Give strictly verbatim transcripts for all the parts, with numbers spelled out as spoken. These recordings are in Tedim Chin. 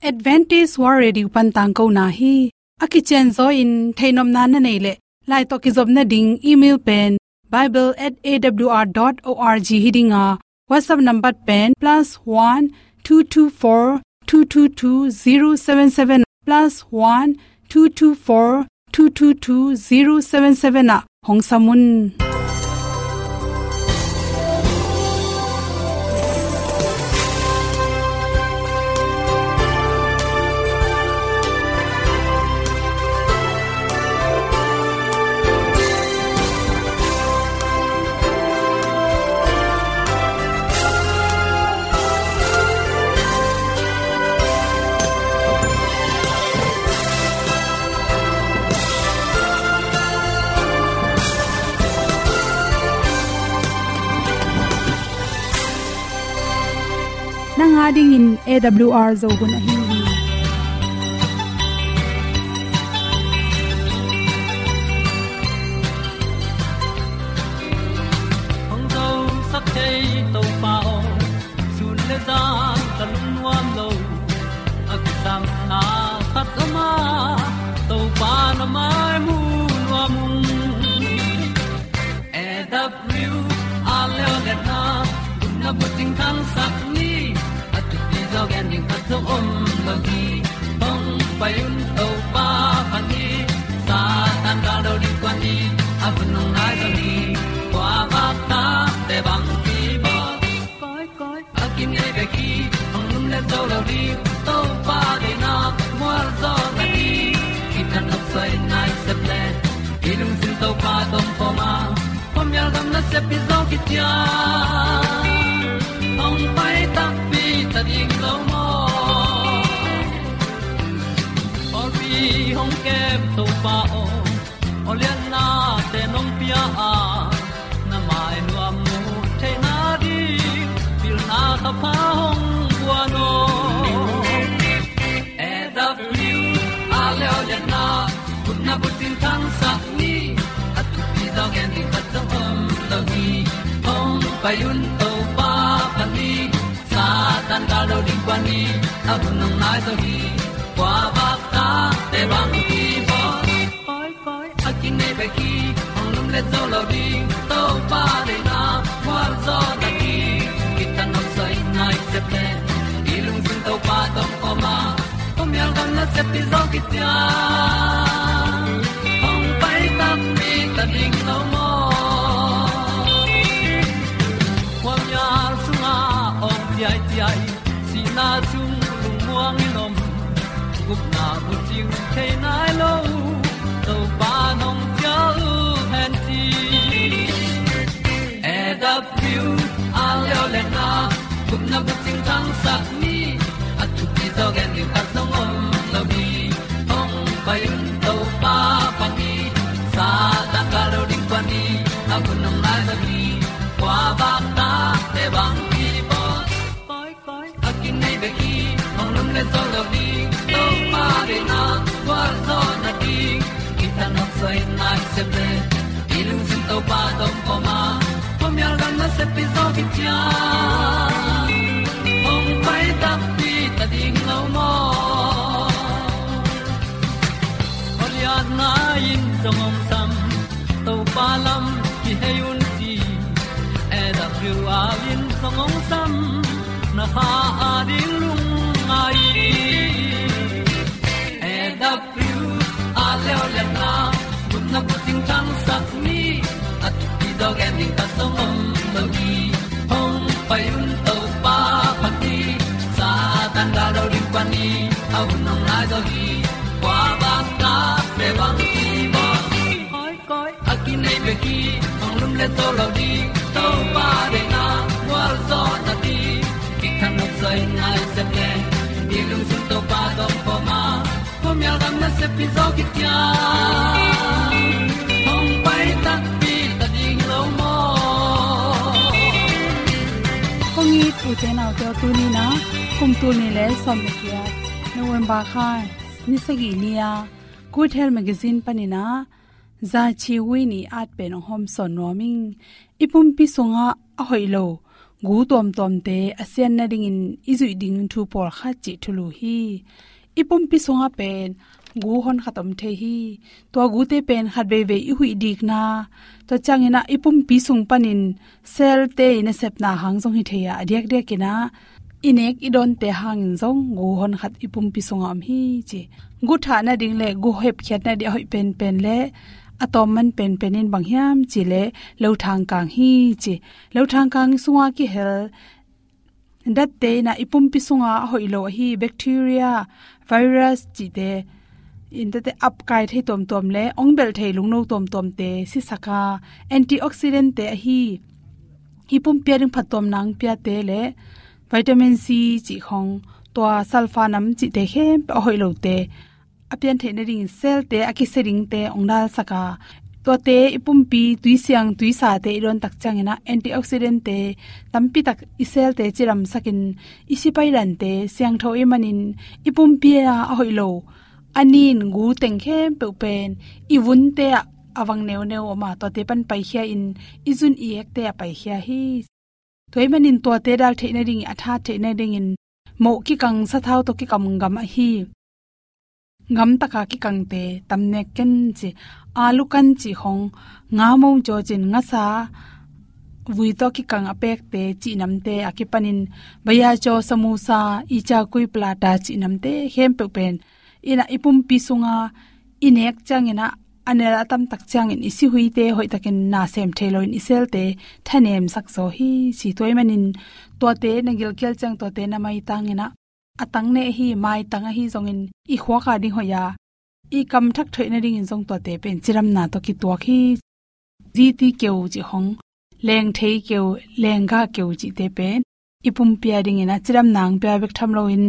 Adventist World Radio pan tangkona hi. A kicianzaw in theihnopna na neih leh, lai tawh kizopna ding email pen bible at A W R dot org hi ding a, WhatsApp number pen plus one two two four two two two zero seven seven, plus one two two four two two two zero seven seven ah hong sam un. Nang a dingin A W R Zo hun ahi hi. Hong zosak thei Topa aw, sun le zan ka lungnuam lo. A kisam na khat om a, Topa na mai mu nuam ung. A W R leo le na, gupna bucing thangsak ni, a thupi zaw gen ding khat zong om lo hi. Hong pai un Topa phat ni, Satan gal do ding kua ni, a hun hong nai zaw ni, kua vak ta te bang ki bawl. Koi, koi, a kinei bek hi, hong lum le zo lo ding, Topa deihna mual zaw na ding, kithat nop suai nai sep le, i lungsim Topa tawh om khawm a, khuamial gam nasep i zawh khit ciang, hong pai takpi ta ding lo maw? Pawlpi hong kem Topa aw, aw liannate nong pia a, na mai nuam mu theihna ding, pilna thapha hong guan aw. A W R leo le na, gupna bucing thangsak ni, a thupi zaw gen ding khat zong om lo hi. Hong pai un Topa phat ni, Satan gal do ding kua ni, a hun hong nai zaw hi. Kua vak ta te bang ki bawl. Koi, koi, a kinei bek hi, hong lum le zo lo ding, Topa deihna mual zaw na ding, kithat nop suai nai sep le, i lungsim Topa tawh om khawm a, khuamial gam nasep i zawh khit ciang, hong pai takpi ta ding lo maw? Khuamial sungah awng ciaiciai, sihna sung lungmuang in om, gupna bucing thei nai lo, Topa nong ciah hen ci. A W R leo le na, gupna bucing thangsak ni, a thupi zaw gen ding khat zong om lo hi. Hong pai un Topa phat ni, Satan gal do ding kua ni, a hun hong nai zaw hi. Kua vak ta te bang ki bawl. Koi, koi, a kinei bek hi, hong lum le zo lo ding, Topa deihna mual zaw na ding, kithat nop suai nai sep le, i lungsim Topa tawh om khawm a, khuamial gam nasep i zawh khit ciang, hong pai takpi ta ding lo maw? Aw liatna in zong hong sam, Topa lam kihei un ci, A W R in zong hong sam, na kha a ding lungngai. A W R leo le na, gupna bucing thangsak ni, a thupi zaw gen ding khat zong om lo hi. Hong pai un Topa phat ni, Satan gal do ding kua ni, a hun hong nai zaw hi. Kua vak ta te bang ki bawl. Koi, koi, a kinei bek hi, hong lum le zo lo ding, Topa deihna mual zaw na ding, kithat nop suai nai sep le, i lungsim Topa tawh om khawm a, khuamial gam nasep i zawh khit ciang, hong pai takpi ta ding lo maw? Kong it u te nau te aw, tuni in ah kum tul nih le sawm le giat, November kha ni sagih ni-a Good Health Magazine panin ah zaci huih nih at pen hong hawmsawn nuam ing. I pumpi sungah a hoih lo gu tuamtuamte a sian nadingin i zuih ding thu pawlkhat cih thulu hi. I pumpi sungah pen gu honkhat om thei hi. Tua gute pen khat veivei i huih dikna, tua cianginah i pumpi sung panin cell-te i nasepna hang zong hi thei a, a diakdiakinah i nek i dawnte hangin zong gu honkhat i pumpi sungah om hi ci. Gu thah nading le gu hepkhiat nading a hoih penpen le a tawmman penpen in bang hiam cih leh lothang kang hi ci. Lothang kang sungah kihel datte inah i pumpi sungah a hoih lo ahi bacteria, virus cihte, in tete apkai thei tuamtuam le ong belh thei lungno tuamtuamte sisak a, antioxidant-te ahi, i pumpi a ding phattuamna hong piate le vitamin C cih khong, tua sulfur nam cihte khempeuh a hoih lote a pian theih nadingin cell-te a kisia dingte hong dalsak a, tuate i pumpi tuisiang tuisate i dawn tak cianginah antioxidant-te tampi tak i cell-te cidamsakin i sipai dante siangtho i hih manin i pumpi a a hoih lo a nin gu teng khempeuh pen i vunte ah a vang neuneu om a, tuate pan paikhia in i zun i ekte ah paikhia hi. Tua hih manin tuate dal theih nadingin, a that theih nadingin moh kikang sathau tawh kikam gam ahi gamtaka kikangte tam nek ken ci. Alu kan cih khong, nga mong cawcin ngasa vui tawh kikang a pekte cih namte a kipanin bhajia caw, samosa, icha kui, paratha cih namte khempeuh pen inah i pumpi sunga i nek cianginah a nel a tamtak ciangin i sihuite hoihtakin na sem thei loin i cell-te thanemsak zaw hi ci. Tua hih manin tuate na gilkial ciang tuate na maitanginah a tang ne ahi, maitang ahi zongin i khuak a ding hoih a, i kam thak thoih nadingin zong tuate pen cidamna tawh kituak hi. Ziti keu cih khong, lengthei keu, lenggah keu cihte pen i pumpi a dinginah cidamna hong pia bek tham loin,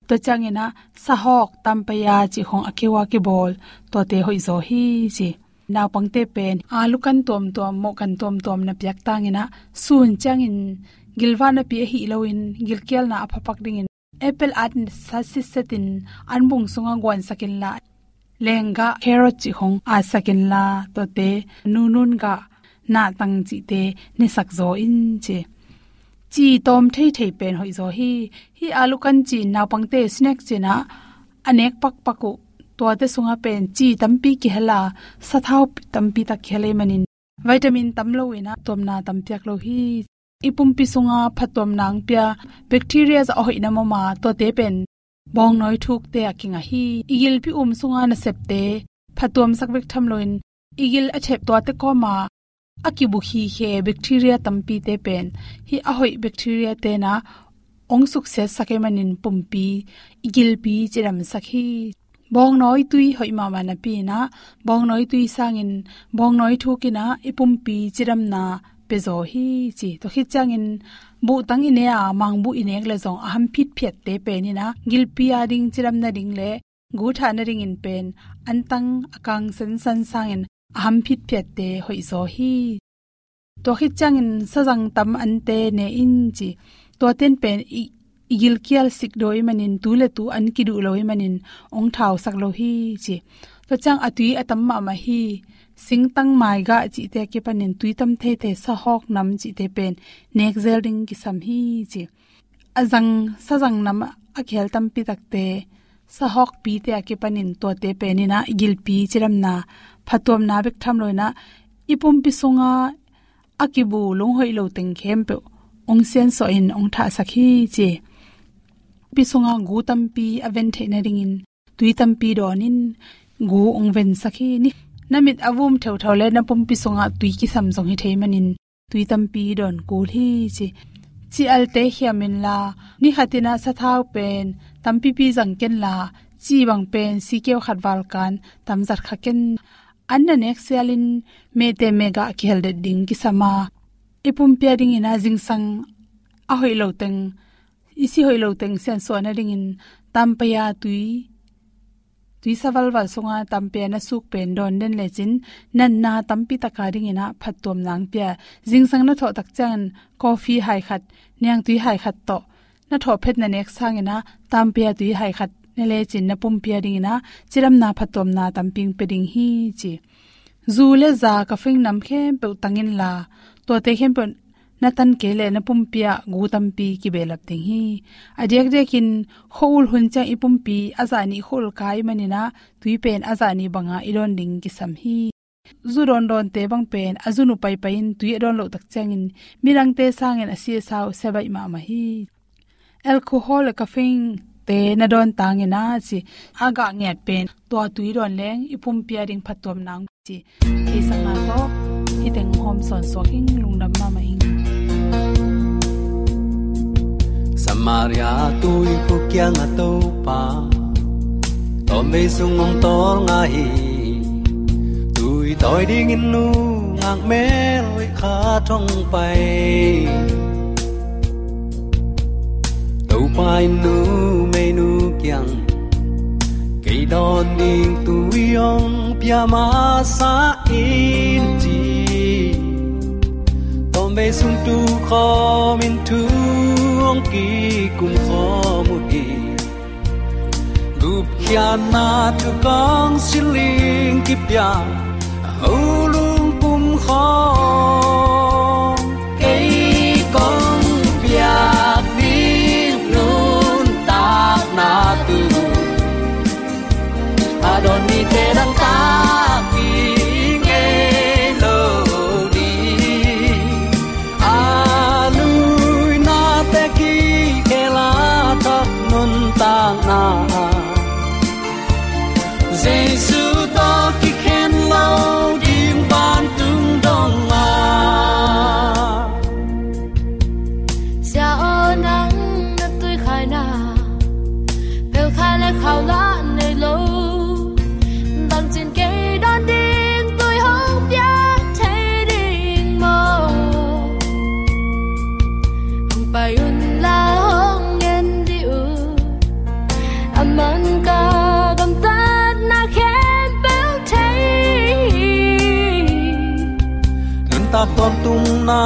tua cianginah sahawk, tampaya cih khong a keu a kibawl, tuate hoih zaw hi ci. Naupangte pen alu kan tuamtuam, moh kan tuamtuam na piak tanginah sun ciangin gilvah napi ahih loin gilkialna a phapak dingin apple at sa sitsetin an bung sungah guansak inla, lenggah, carrot cih khong atsak inla, tuate nunun gah, nahtang cihte nesak zaw in ci. Ci tawm theithei pen hoih zaw hi. Hih alu kan ci in naupangte snack cinah a nek pakpak uh, tuate sungah pen ci tampi kihel a, sathau tampi tak kihel ahih manin vitamin tam lo inah tuamna tam piak lo hi. I pumpi sunga phattuamna hong pia bacteria zah a hoih nam om a, tuate pen bawngnawi thukte a kingah hi. I gilpi um sunga nasepte phattuamsak bek tham loin i gil a thep tuate kawma a kibu khikhe bacteria tampite pen hih a hoih bacteria tenah hong suksiatsak ahih manin pumpi, i gilpi cidamsak hi. Bawngnawi tui hoih mahmah napi inah bawngnawi tui sangin bawngnawi thuk inah i pumpi cidamna pia zaw hi ci. Tua khit ciangin buhtang i ne a, mangbuh i nek le zong a ham phitphiatte pen inah gilpi a ding cidam nading le gu thah nadingin pen antang a kang sansan sangin a ham phitphiatte hoih zaw hi. Tua khit ciangin sazang tam ante ne in ci. Tuaten pen i, i gilkial sikdaw ahih manin, tu le tu an kiduh lo ahih manin hong thausak lo hi ci. Tua ciang a tui a tam mahmah hi. Singtang, maigah cihte a kipanin tui tam theithei, sahawk nam cihte pen nek zel ding kisam hi ci. A zang, sazang nam a kihel tampi takte, sahawkpite a kipanin tuate pen inah i gilpi cidamna, phattuamna bek tham lo inah i pumpi sunga a kibu lunghoih lo teng khempeuh hong siansuah in hong thahsak hi ci. Pumpi sunga gu tampi a ven theih nadingin tui tampi dawn in gu hong vensak hi. Ni, na mit a vum theuthau le na pumpi sungah tui kisam zong hi thei manin tui tampi dawn kul hi ci. Ci alte khiam inla, ni khat inah sathau pen tampipi zang kenla, ci bang pen sikeu khat valkan tamzat kha ken. An na nek sialin mehte mehgah a kihel det ding kisam a, i pumpi a dingin ah zingsang a hoih lo teng, i si hoih lo teng siansuah nadingin tampaya tui, tuisa valval sunga tampaya na suk pen dawn den lecin natna tampi taka dingin ah phattuamna hong pia. Zingsang na thawh tak ciangin coffee hai khat, niangtui hai khat tawh na thawh phet na nek sangin ah tampaya tui hai khat ne lecin na pumpi a dingin ah cidamna phattuamna tampi hong pia ding hi ci. Zu le za, caffeine nam khempeuh tang inla, tuate khempeuh na tan kei leh na pumpi ah gu tampi kibehlap ding hi. A diakdiakin khua-ul hun ciang i pumpi a zah nih khua-ul kai manin ah tui pen a zah nih banga i dawn ding kisam hi. Zu dawndawnte bang pen a zun uh paipai-in tui a dawn loh tak ciangin midangte sangin a si a sa uh sia baih mahmah hi. Alcohol le caffeine-te na dawn tangin a ci a gah ngiat pen tua tui dawn leng i pumpi a ding phattuamna hong ci. Theihsakna tawh hih teng hawm sawnsuak ing, lungdam mahmah ing. Samaria tuikhuk kiangah Topa tawmvei sung hong tawlnga hi. Tui tawi dingin nungak mel hoih khat hong pai. Topa in numeinu kiang kei dawn ding tui hong pia masa in ci. Tawmvei sung tu khawmin thu hong kikum khawm uh hi. Gupkhiatna thukong siling kipia a ho lungpum khawng kei kong piak ding nuntakna tu a dawn mite dangtak ding ngei lo ding. A luinate kikhel a thak nuntakna ah Jesu tawh kikhen lo ding vantung dong ah. Sia aw, nang na tuikhaina pelkhai le khau lah nei lo. Bangcin kei dawn ding tui hong piak thei ding maw? Hong pai un la hong ngen dih un. A man ka gamtatna khempeuh thei. Nuntak tawntungna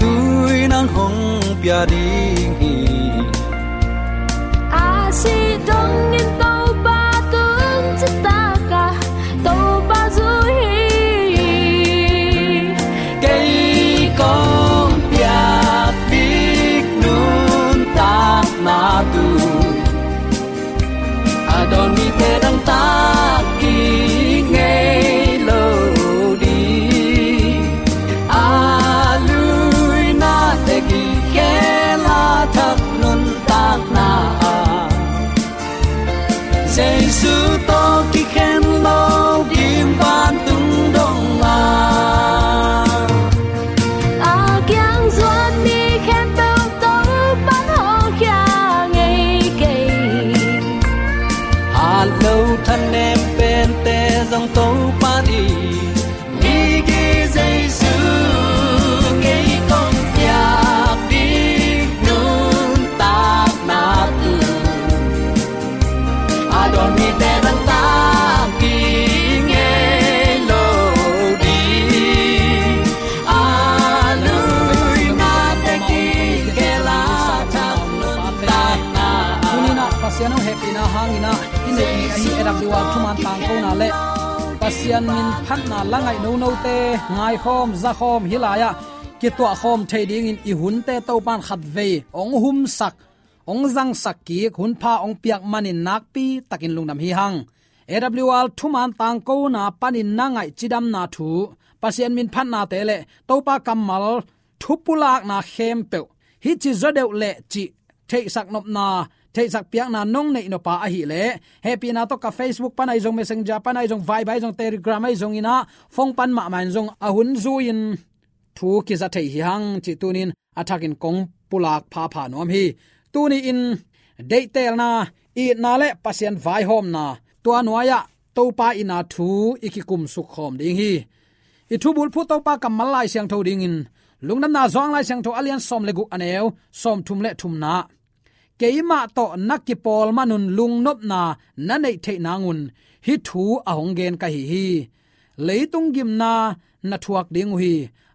tui nang hong pia ding hi. A sih dongin Topa tung citak a Topa zui hi. Kei kong piak bik nuntakna tu a dawn mite dangtak ding ngei lo ding. A luinate kikhel a thak nuntakna ah Jesu tawh kikhen lo ding vantung dong ah. A kiang zuan mi khempeuh Topa'n hong khia ngei kei. Hat lo thanem pente zong Topa'n i migi Jesu ngei kong piak ding nuntakna tu a dawn mite dangtak ding ngei lo ding. A luinate kikhel a thak nuntakna ah. Tuni-in ah Pasian hong hehpihna hangin ah i neih ni ahi A W R thuman tangkona le Pasian min phatna la ngaih nonote ngaikhawm zakhawm hih lai-ah kituahkhawm thei dingin i hunte Topa'n khatvei hong humsak, hong zangsak kik, hunpha hong piak manin nakpi takin lungdam hi hang. A W R thuman tangkona panin na ngaih cidamna thu, Pasian min phatnate le Topa kammal thu pulakna khempeuh hih ci zaw deuh leh cih theihsak nopna, theihsak piakna nong neih nop a ahih leh, hehpihna tawh ka Facebook pan ahi zong, Messenger pan ahi zong, Viber ahi zong, Telegram ahi zongin ah, phone pan mahmah in zong a hun zui-in thu kiza thei hi hang cih tuni-in a thakin kong pulak phapha nuam hi. Tuni-in deihtelna, itna le Pasian vaihawmna, tua nuai-ah Topa itna thu i kikumsuk khawm ding hi. I thubulphuh Topa kammal Lai Siangtho dingin Lungdamna Johan Lai Siangtho a lian sawm le guk, a neu sawmthum le thumna. Keimah tawh na kipawl manun lungnopna na neih theih nangun hih thu a hong gen ka hi hi. Leitung gimna na thuak ding uh hi.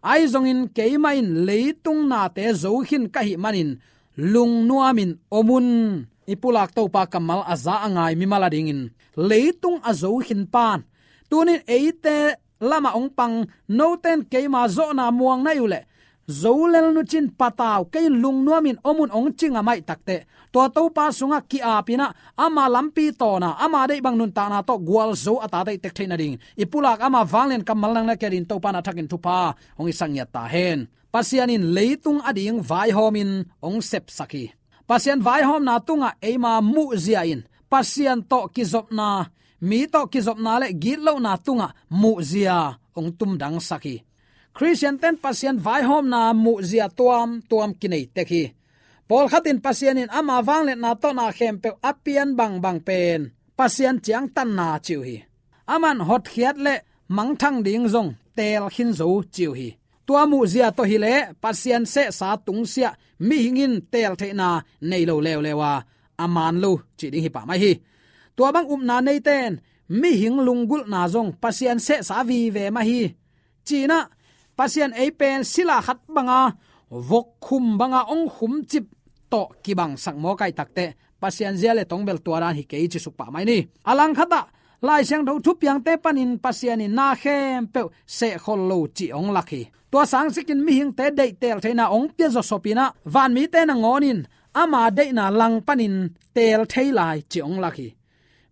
Ahi zongin keimah in leitung nate zo khin ka hih manin lungnuamin om un. I pulak Topa kammal a za a ngai mimal a dingin leitung a zo khin pa'n tuni-in eite lamah hong pang, note'n keima zawhna muang na hih uh leh zo lel nu cin patau, kei in lungnuamin om un hong ci ngam ahih takteh, tua Topa sungah ki-apin ah, ama lampi tawna, ama deih bang nuntakna tawh gualzo a tate i tek theih nadingin i pulak ama vanglian kammal nang le kei adingin Topa in a thakin thupha hong hisak ngiat ta hen. Pasian in leitung ading vaihawmin hong sepsak hi. Pasian vaihawmna tungah eima muhzia in Pasian tawh kizopna, mi tawh kizopna le gitlohna tungah muhzia hong tumdangsak hi. Khristiante in Pasian vaihawmna muhzia tuamtuam kinei tek hi. Pawlkhat in Pasian in ama vangliatna tawh na khempeuh a pian bangbang pen Pasian ciangtanna ci uh hi. Aman hotkhiat le mangthang ding zong teel khin zo ci uh hi. Tua muhzia tawh hileh Pasian sehsa tungsiah mihing in teel theihna nei lo leuleu a, a man lo cih ding hi pah mai hi. Tua bang upna neite in mihing lunggulhna zong Pasian sehsa vive mah hi. Ci-in ah Pasian ei pen sila khat banga, vok khum banga hong khumcip tawh kibangsak mawk ahih takteh, Pasian zia le tong bel tua dan hi kei ci suk pah mai ni. A langkhatah Lai Siangtho thupiangte panin Pasian in na khempeuh sehkhol lo cih hong lak hi. Tua sangsikin mihingte deihteel theihna hong pia zawsopin ah, vanmite nangawn in ama deihna langpanin teel thei lai cih hong lak hi.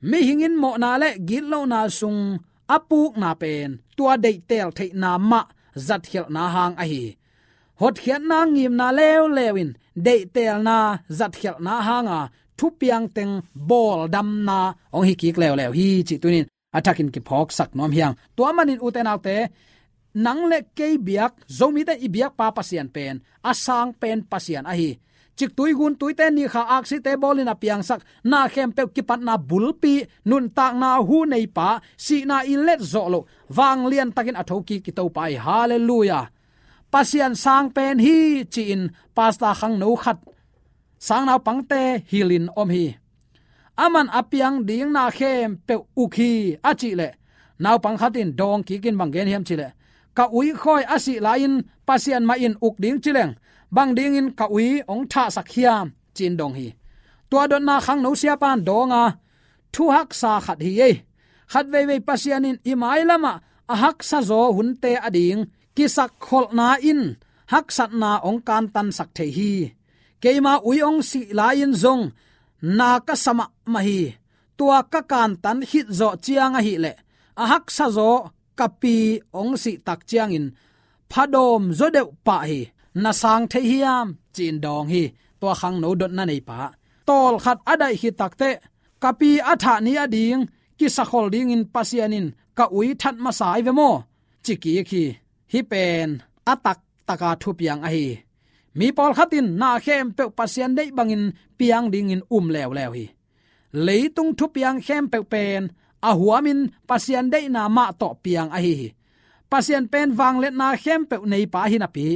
Mihing in mawhna le gitlohna sung a pukna pen tua deihteel theihna mah zatkhialhna hang ahi hi. Hotkhiatna ngimna leuleu in deihtelna zatkhialhna hanga thupiang teng bawldamna hong hi kik leuleu hi cih tunin a thakin kiphawksak nuam hi hang. Tua manin ute naute, nang le kei biak, Zomite i biakpa Pasian pen a sang pen Pasian ahi hi. Ciktui guntuite, nikha aksite bawlin a piangsak, na khempeuh kipatna bulpi, nuntakna hu neipa, sihna i let zawh loh, vanglian takin a thokik i Topa hi. Halleluiah. Pasian sang pen hi ci-in pastor khangno khat sang naupangte hilhin om hi. Aman a piang ding na khempeuh uk hi a cih leh, naupang khat in dawng kikin bang gen hiam cih leh, ka ui khawi a sih lai-in Pasian mah in uk ding ci leng, bang dingin ka ui hong thahsak hiam ci-in dong hi. Tua dotna khangno siapa in dawng a, thu haksa khat hi ei. Khat veivei Pasian in i mailamah a haksa zaw hunte ading kisakkholhna in haksatna hong kantansak thei hi. Keima ui hong sih lai-in zong na ka sa mahmah hi. Tua ka kantan khit zawh ciang ahih leh, a haksa zaw ka pi hong sih tak ciangin phadawm zaw deuh pah hi. Na sang thei hiam ci-in dawng hi. Tua khangno dotna neipa, tawlkhat a daih khit takteh, ka pi a thah ni ading kisakhol dingin Pasian in ka ui that masa hi ve maw, ci kik hi. Hih pen a taktaka thupiang ahi hi. Mi pawlkhat in na khempeuh Pasian deih bangin piang dingin um leuleu hi. Leitung thupiang khempeuh pen a huamin Pasian deihna mah tawh piang ahi hi. Pasian pen vangliatna khempeuh neipa hi napi,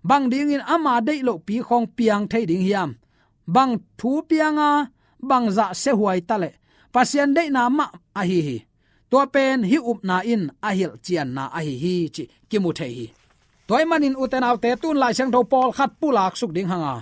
bang dingin ama deih lohpi khawng piang thei ding hiam? Bang thu pianga, bang zah siahuai ta leh, Pasian deihna mah ahi hi. Tua pen hih upna in a hilhcianna ahi hi cih kimu thei hi. Tua ahih manin ute naute, tun Lai Siangtho pawlkhat pulaksuk ding hanga,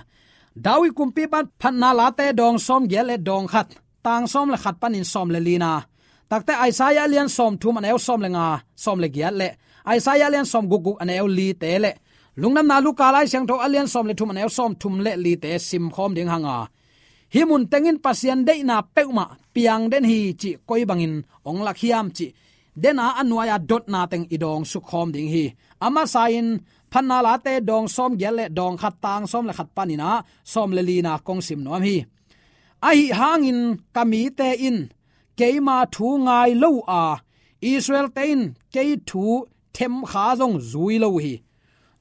David kumpipa in Phatna Late dawng sawmgiat le dawng khat, tang sawm le khat panin sawm le lina, takte Isaiah a lian sawmthum a neu sawm le nga, sawm le giat le Isaiah a lian sawmgukguk a neu lite le Lungdamna Luka Lai Siangtho a lian sawm le thum a neu sawmthum le lite simkhawm ding hanga, hih mun tengin Pasian deihna peuhmah piang den hi cih koi bangin hong lak hiam cih dena a nuai-a dotna teng i dawngsuk khawm ding hi. A masa-in Phatna Late dawng sawmgiat le dawng khat, tang sawm le khat panin ah sawm le lina kong sim nuam hi. Ahi hangin ka mite in keima thu ngai lo uh a, Israelte in kei thu themkha zong zui lo uh hi.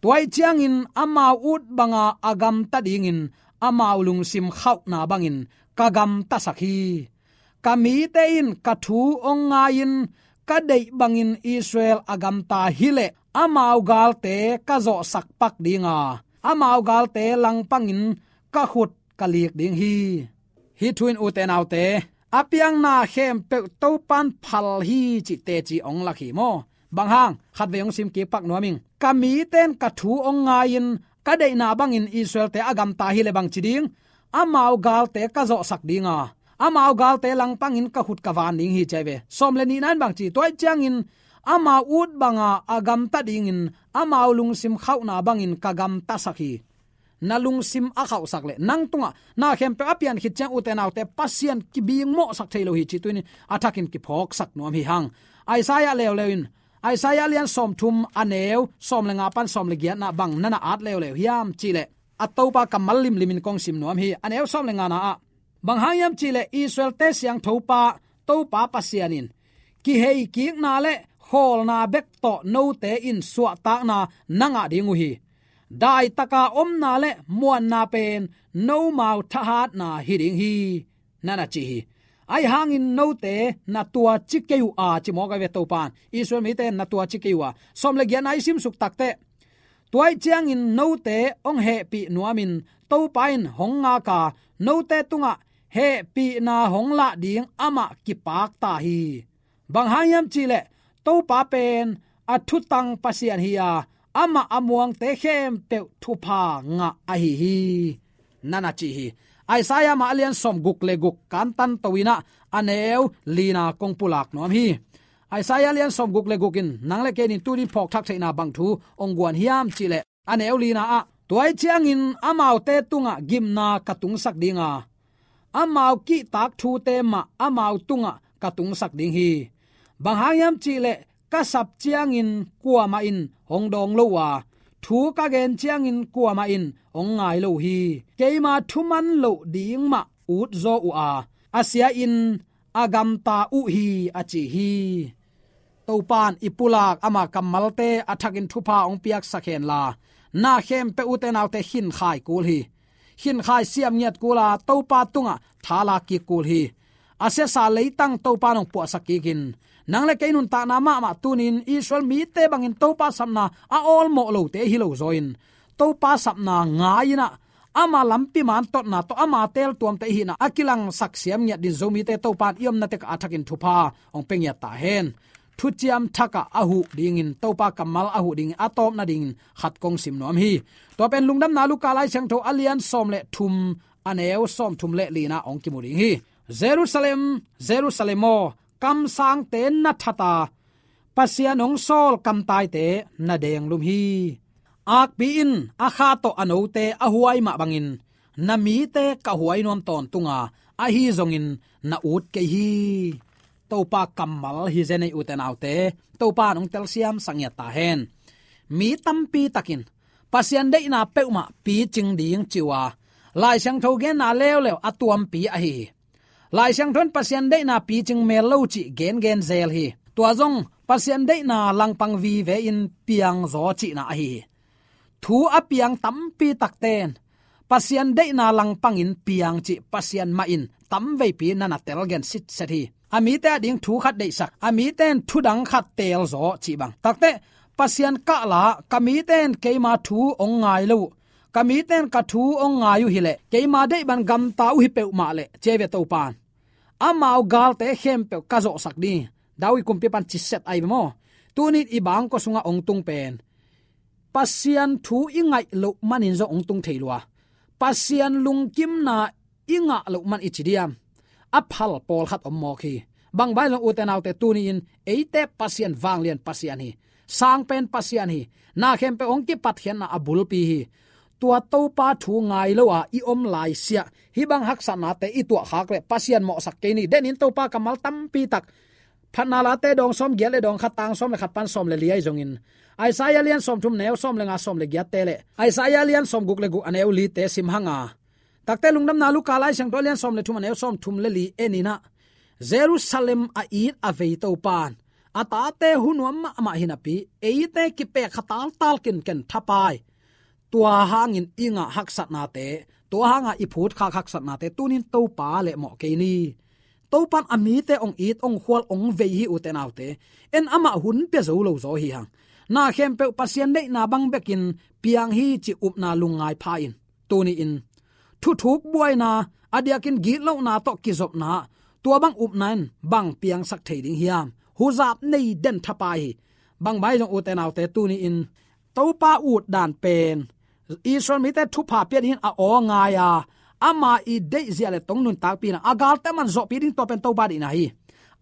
Tua ahih ciangin amau ut banga a gamta dingin amau lungsim khauhna bangin ka gamtasak hi. Ka mite in ka thu hong ngai-in ka deih bangin Israel a gamta hileh amau galte ka zawhsak pak dinga, amau galte langpangin ka khut ka lik ding hi. Hih thu in ute naute, a piangna khempeuh Topa in phal hi cih teci hong lak hi maw? Bang hang, khatvei hong sim kik pak nuam ing. Ka mite in ka thu hong ngai-in ka deihna bangin Israelte a gamta hileh bang ci ding? Amau galte ka zawhsak dinga, amau galte langpangin ka khut ka van ding hi ci ahi ve. Sawm le nihna in bang ci? Tua ahih ciangin Amau ut banga a gamta dingin amau lungsim khauhna bangin ka gamtasak hi. Na lungsim a khauhsak le nang tungah na khempeuh a pian khit ciang, ute naute, Pasian kibingmawhsak thei lo hi cih tuni-in a thakin kiphawksak nuam hi hang. Isaiah leuleu in, Isaiah lian sawmthum a neu sawm le nga pan sawm le giatna bang nana at leuleu hiam cih leh, a Topa kammal limlimin kong sim nuam hi. A neu sawm le ngana ah, bang hang hiam cih leh Israel-te siangtho pa Topa Pasian in, kiheikikna le khawlna bek tawh note in suahtakna na ngah ding uh hi. Daitaka omna le muanna pen nomau thahatna hi ding hi, nana ci hi. Ahi hangin note na tuaci kei uh a, ci mawk ahi ve Topa in. Israel mite na tuaci kei uh a, sawm le giatna i simsuk takteh, tua ahih ciangin note hong hehpih nuamin Topa in hong ngak a, note tungah hehpihna hong lah ding amah kipak ta hi. Bang hang hiam cih leh Topa pen a thutang Pasian hi a, amah a muangte khempeuh thupha ngah ahi hi, nana ci hi. Isaiah mah a lian sawmguk le guk kantan to-in ah, a neu lina kong pulak nuam hi. Isaiah lian sawmguk le guk in nang le kei in tuni-in phawkthak theihna bang thu hong guan hiam cih leh, a neu lina ah, tua ahih ciangin amaute tungah gimna ka tungsak ding a, amau kihtak thute mah amau tungah ka tungsak ding hi. Bang hang hiam cih leh ka sap ciangin kuamah in hong dawng lo uh a, thu ka gen ciangin kuamah in hong ngai lo uh hi. Keima thuman loh ding mah utzaw uh a, a sia-in a gamta uh hi, a ci hi. Topa in i pulak ama kammalte a thakin thupha hong piaksak henla, na khempeuh, ute naute, khinkhai kul hi. Khinkhai siam ngiat kul a, Topa tungah tha lak kik kul hi. A siasa leitang Topa in hong puahsak kikin, nang le kei nuntakna mahmah tuni-in Israel mite bangin Topa sapna a awlmawh lote hi lo zaw-in, Topa sapna ngai-in ah, ama lampi mantotna tawh ama teltuamte i hihna a kilangsak siam ngiat dingin Zomite Topa in i omna tek ah a thakin thupha hong pia ngiat ta hen. Thuciam thak ah a huh dingin, Topa kammal a huh dingin, a tawpna dingin khat kong sim nuam hi. Tua pen Lungdamna Luka Lai Siangtho a lian sawm le thum, a neu sawmthum le lina hong kimu ding hi. Jerusalem, Jerusalem aw, kamsangte na that a, Pasian hong sawl kamtaite na denglum hi. Akpi in a kha tawh a note a huai mah bangin, na mite ka huai nuam tawntung a, ahi zongin na ut kei hi. Topa kammal hi zen ei, ute naute, Topa in hong telsiamsak ngiat ta hen. Mi tampi takin Pasian deihna peuhmah picing ding ci uh a, Lai Siangtho genna leuleu a tuampi ahi hi. Lai Siangtho in Pasian deihna picing mel lo cih gengen zel hi. Tua zong Pasian deihna langpang vive-in piangzaw cihna ahi hi. Thu a piang tampi takte in Pasian deihna langpangin piang cih Pasian mah in tamveipi nana telgen sitset hi. A mite ading thu khat deihsak, a mite in thu dang khat teelzaw cih bang. Takteh, Pasian kahla, ka mite in keima thu hong ngai lo uh, ka mite in ka thu hong ngai uh hileh, keima deih bang gamta uh hi peuhmah leh, ci ahi ve Topa in. Amau galte khempeuh ka zawhsak ding hi. David kumpipa in ci set ahi ve maw. Tuni-in i bangkua sungah hong tung pen, Pasian thu i ngaih loh manin zong hong tung thei lua. Pasian lungkimna i ngah loh man i ci diam? A phal pawlkhat om mawk hi. Bang bang zong, ute naute, tuni-in eite Pasian vanglian Pasian hi. Sangpen Pasian hi. Na khempeuh hong kipatkhiatna a bulpi hi. Tua Topa thu ngai lo a i om laisiah, hih bang haksatnate i tuahkhak leh Pasian mawhsak kei ni. Denin Topa kammal tampi tak, Phatna Late dawng sawm giat le dawng khat, tang sawm le khat pan sawm le li ahi zongin, Isaiah lian sawmthum, neu sawm le nga, sawm le giatte le Isaiah lian sawmguk le guk, a neu lite sim hang a, takteh Lungdamna Luka Lai Siangtho a lian sawm le thum, a neu sawmthum le li en in ah, Jerusalem a it a vei Topa in a tate hu nuam mahmah hi napi, eite kipek kha taltal kinken thapai. Tua hangin i ngah haksatnate, tua hanga i phutkhak haksatnate, tunin Topa lehmawh kei ni. Topa in a mite hong it, hong khual, hong vei hi, ute naute. En amah hun pia zo lo zaw hi hang. Na khempeuh Pasian deihna bang bekin piang hi cih upna lungngai pha in. Tuni-in thuthuk buaina, a diakin gitlohna tawh kizopna, tua bang upna in bang piangsak thei ding hiam? Huzap nei den thapai hi. Bang bang zong, ute naute, tuni-in Topa utdan pen Israel mite thupha pia dingin a aw ngai a, ama i deihzia le tong nuntakpihna, a galte man zawhpih ding, tua pen Topa deihna hi.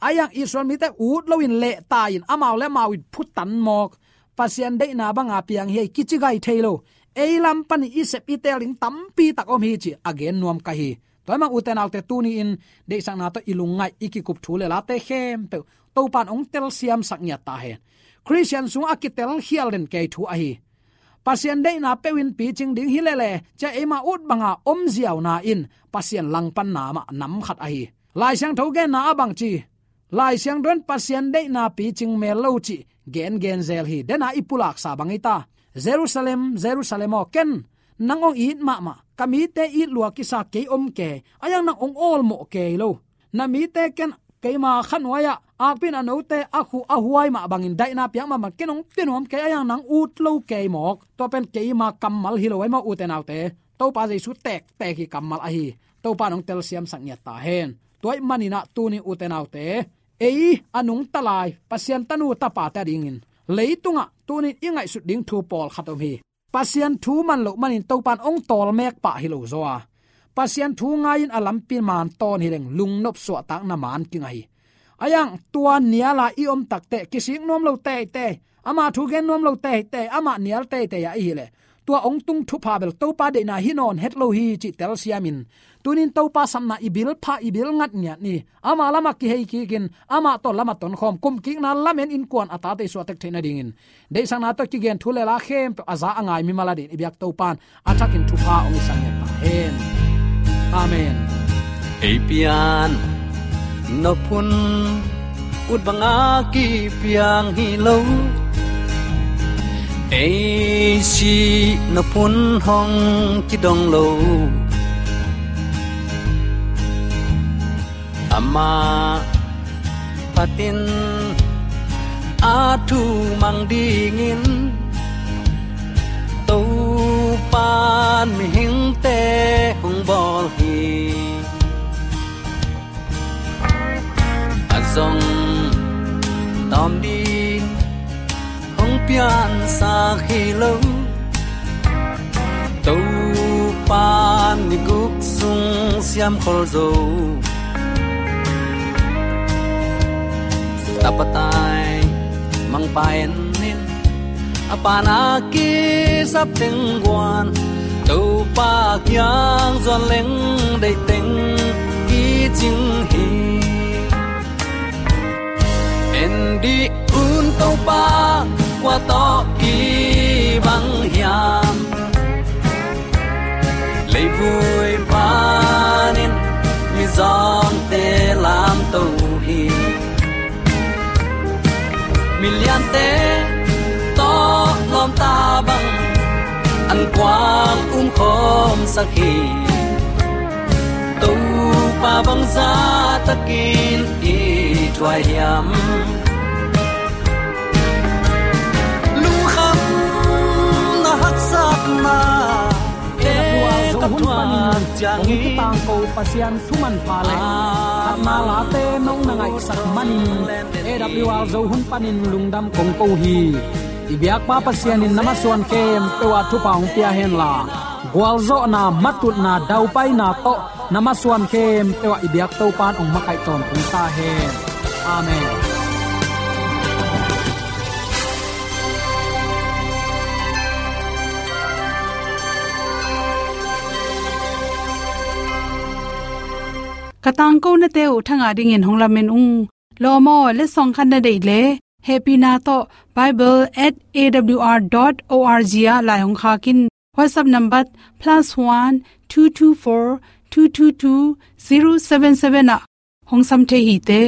A iang Israel mite ut loin lehta in amau le amau in phutan mawk. Pasian deihna banga piang hi ei kici gai thei lo. Ei lam panin i sep i tel ding tampi tak om hi ci a gen nuam ka hi. Tua ahih manin ute naute tuni-in deihsakna tawh i lungngaih i kikup thu le late khempeuh Topan hong telsiamsak ngiat ta hen. Khristian sungah a kitelkhial den kei thu ahi. Pasian deihna peuhin picing ding hi lele, cia eima ut banga om ziauna in Pasian langpanna mah nam khat ahi. Lai Siangtho genna ah bang ci? Lai Siangtho in Pasian deihna picing mel lo cih gengen zel hi. Dena i pulaksa bang hi ta? Jerusalem, Jerusalem aw, ken nang hong it mahmah, ka mite it lua kisa kei om kei, a iang nang hong awlmawh kei lo. Na mite ken keima khanuai-ah akpi in a note a khuh a huai mah bangin daihna piak mah bangin ken hong pia nuam kei, a iang nang ut lo kei mawk. Tua pen keima kammal hi lo, ahi maw ute naute. Topa Jesu tektek i kammal ahi. Topa in hong telsiamsak ngiat ta hen. Tua ahih manin ah tuni ute naute, ei a nungta lai Pasian tanu tapate adingin leitungah tuni-in i ngaihsut ding thu pawlkhat om hi. Pasian thu man loh manin Topan hong tawlmek pah hi lo zaw a, Pasian thu ngai-in a lampi maan tawn hi leng lungnop suahtakna maan kingah hi. A iang tua nial a i om takteh kisik nuam lo teitei, ama thu gen nuam lo teitei, amah nial teitei a i hih leh, tua hong tung thupha bel Topa deihna hi nawn het lo hi cih telsiamin, tuni-in Topa sapna i bil pha, i bil ngat ngiat ni. Ama lamah kihei kikin, amah tawh lamah tonkhawm, kumkikna lamen innkuan a tate i suahtek theih nadingin, deihsakna tawh kigen thu le la khempeuh a za a ngai mimal adingin i biak Topan a thakin thupha hong hisak ngiat ta hen. Amen. Ei pian nop hun ut banga kipiang hi lo, ei sih nop hun hong kidong lo. Amah phatin a thu mang dingin Topan mihingte hong bawl hi. A zong tawm ding hong piansak hi lo. Topan ni guk sung siamkhol zo. Tapa tai mangpa en in, a pa'n a kisap teng guan, Topa kiang zuan leng deih teng kicing hi. En dih un Topa kua tawh kibang hiam? Leivui panin mizawngte lamto hi. Miliante tawh lawmta bang an kuang umkhawmsak hi. Topa bangzah takin i thuai hiam? Lungkhamna haksatna te ka thuak ciangin, hong kitangko Pasian thu manpha le khatna late nong na ngaihsak manin, A W R Zo hun panin lungdam kong ko hi. I biakpa Pasian in na masuan khempeuh ah thupha hong pia henla, gualzawhna, matutna, daupaina tawh na masuan khempeuh ah i biak Topan hong makaih tawntung ta hen. Amen. Ka tangkonate uh thangah dingin hong lamen ung. Lawm aw, letsong khat na deih leh, hehpihna tawh bible at A W R dot O R G ah lai hong khak in. WhatsApp number plus one two two four two two two zero seven seven ah hong sam thei hi te.